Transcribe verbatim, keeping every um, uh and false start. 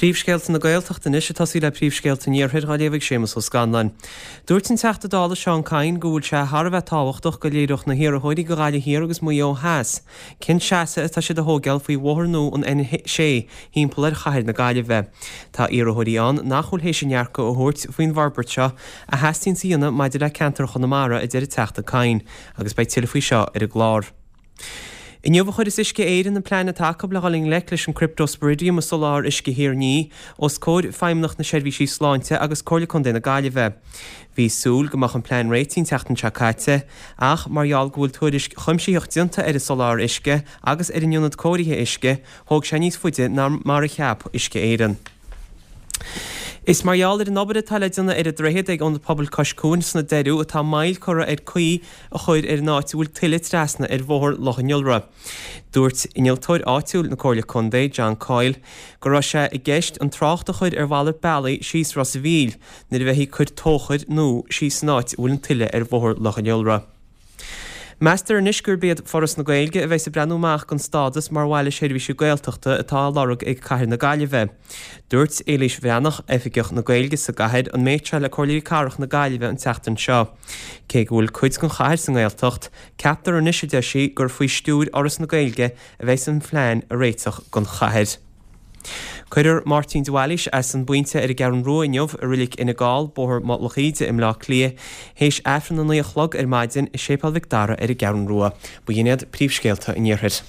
Príomhscéalta na Gaeltachta anois ag tosaí le príomhscéalta an Iarthair á léamh ag Séamus Ó Scanláin. Dúirt an Teachta Dála Seán Kyne go bhfuil sé thar a bheith tábhachtach go léireodh na hiarrthóirí go Gaillimh Thiar agus Maigh Eo Theas cén seasamh atá siad a thógáil faoi bhóthar nua an N sé thimpeall ar chathair na Gaillimhe. Tá iarrthóirí ann nach bhfuil théis a ndearcadh a thabhairt faoin bhforbairt seo a theastaíonn a dhéanamh maidir le ceantar Chonamara a deir an Teachta Kyne, agus beidh tuilleadh faoi seo ar an gclár. Inniu a chuirfeas Uisce Éireann an plean atá acu le dhul i ngleic leis an Cryptosporidium i soláthar uisce Thír an Fhia os comhair Feidhmeannacht na Seirbhísí Sláinte agus Comhairle Contae na Gaillimhe. Bhí súil go mbeadh an plean réitithe an tseachtain seo caite, ach mar gheall go bhfuil tuairisc chuimsitheach déanta ar an soláthar uisce agus ar an ionad cóirithe uisce, thóg sé níos faide ná mar a cheap Uisce Éireann. Is mar gheall ar an obair atá le déanamh ar an droichead ag Ionad Pobail Cois Cuain sna Doiriú atá moill curtha ar caoi a chur ar an áit a bhfuil tuile trasna ar bhóthar Loch an Iolra. Dúirt innealtóir áitiúil na Comhairle Contae, John Coyle, go raibh sé i gceist an trácht a chur ar mhalairt bealaigh síos Ros a' Mhíl nuair a bheifí ag cur tóchair nua síos san áit a bhfuil an tuile ar bhóthar Loch an Iolra. Meastar anois gurb iad Foras na Gaeilge a bheas ag breathnú amach don stádas mar bhaile seirbhíse Gaeltachta atá á lorg ag Cathair na Gaillimhe. Dúirt Éilís Bhreathnach, Oifigeach na Gaeilge sa gcathair, an méid seo le Comhairleoirí Cathrach na Gaillimhe an tseachtain seo. Cé go bhfuil cuid den chathair sa nGaeltacht, ceaptar anois, a deir sí, gur faoi stiúir Fhoras na Gaeilge a bheas an phlean a réiteach don chathair. Cuirfear Máirtín de Bhailís as an bPointe ar an gCeathrú Rua inniu i Reilig Fhine Gall, Bóthar Mhullach Íde i mBleá Cliath, théis Aifreann a naoi a chlog ar maidin i Séipéal Mhic Dara ar an gCeathrú Rua. Ba shin iad príomhscéalta an Iarthair.